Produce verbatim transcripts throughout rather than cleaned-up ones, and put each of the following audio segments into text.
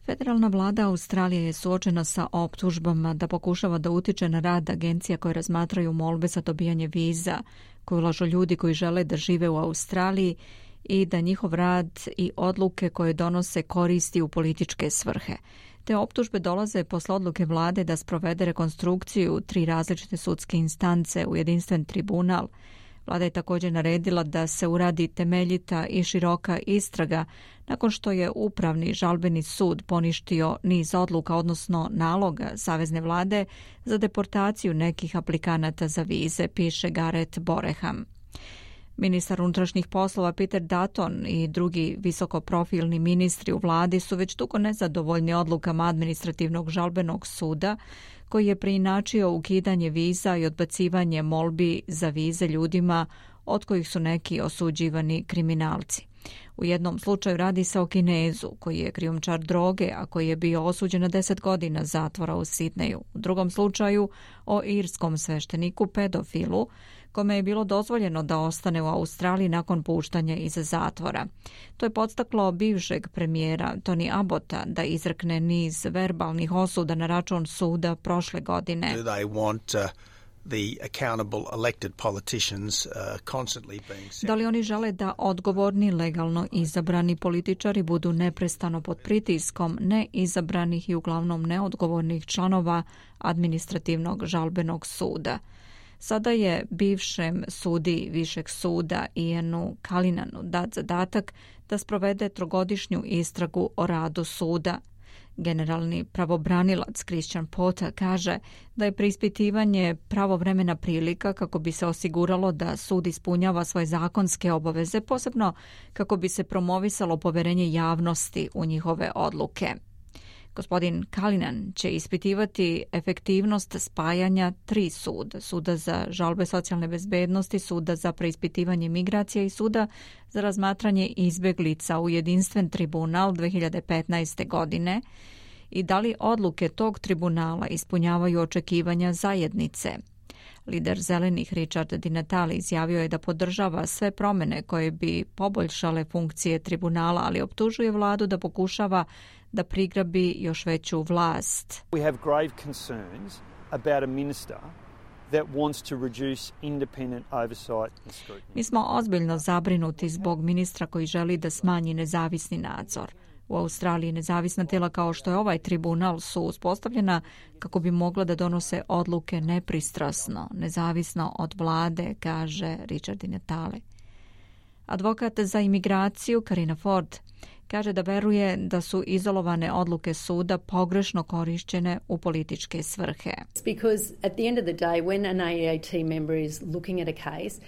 Federalna vlada Australije je suočena sa optužbama da pokušava da utiče na rad agencija koje razmatraju molbe za dobijanje viza, koje ulažu ljudi koji žele da žive u Australiji i da njihov rad i odluke koje donose koristi u političke svrhe. Te optužbe dolaze posle odluke vlade da sprovede rekonstrukciju tri različite sudske instance u jedinstven tribunal. Vlada je također naredila da se uradi temeljita i široka istraga nakon što je Upravni žalbeni sud poništio niz odluka, odnosno naloga savezne vlade za deportaciju nekih aplikanata za vize, piše Gareth Boreham. Ministar unutrašnjih poslova Peter Dutton i drugi visokoprofilni ministri u vladi su već dugo nezadovoljni odlukama administrativnog žalbenog suda koji je preinačio ukidanje viza i odbacivanje molbi za vize ljudima od kojih su neki osuđivani kriminalci. U jednom slučaju radi se o Kinezu koji je krijumčar droge, a koji je bio osuđen na deset godina zatvora u Sidneju. U drugom slučaju o irskom svešteniku pedofilu kome je bilo dozvoljeno da ostane u Australiji nakon puštanja iz zatvora. To je podstaklo bivšeg premijera Tony Abbotta da izrekne niz verbalnih osuda na račun suda prošle godine. Da li oni žele da odgovorni, legalno izabrani političari budu neprestano pod pritiskom neizabranih i uglavnom neodgovornih članova administrativnog žalbenog suda? Sada je bivšem sudi Višeg suda Ianu Calinanu dat zadatak da sprovede trogodišnju istragu o radu suda. Generalni pravobranilac Christian Porter kaže da je preispitivanje pravovremena prilika kako bi se osiguralo da sud ispunjava svoje zakonske obaveze, posebno kako bi se promovisalo poverenje javnosti u njihove odluke. Gospodin Calinan će ispitivati efektivnost spajanja tri suda, suda za žalbe socijalne bezbednosti, suda za preispitivanje migracija i suda za razmatranje izbeglica u jedinstven tribunal dve hiljade petnaeste. godine i da li odluke tog tribunala ispunjavaju očekivanja zajednice. Lider zelenih Richard Di Natale izjavio je da podržava sve promjene koje bi poboljšale funkcije tribunala, ali optužuje vladu da pokušava da prigrabi još veću vlast. We have grave concerns about a minister that wants to reduce independent oversight and scrutiny. Mi smo ozbiljno zabrinuti zbog ministra koji želi da smanji nezavisni nadzor. U Australiji nezavisna tijela kao što je ovaj tribunal su uspostavljena kako bi mogla da donose odluke nepristrasno, nezavisno od vlade, kaže Richard Di Natale. Advokat za imigraciju Karina Ford kaže da veruje da su izolovane odluke suda pogrešno korišćene u političke svrhe. Because at the end of the day when an A E A T member is looking at a case,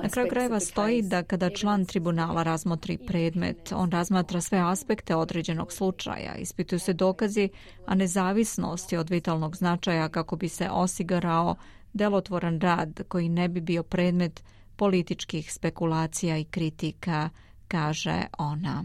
na kraju krajeva stoji da kada član tribunala razmotri predmet, on razmatra sve aspekte određenog slučaja, ispituju se dokazi, a nezavisnost je od vitalnog značaja kako bi se osigurao delotvoran rad koji ne bi bio predmet političkih spekulacija i kritika, kaže ona.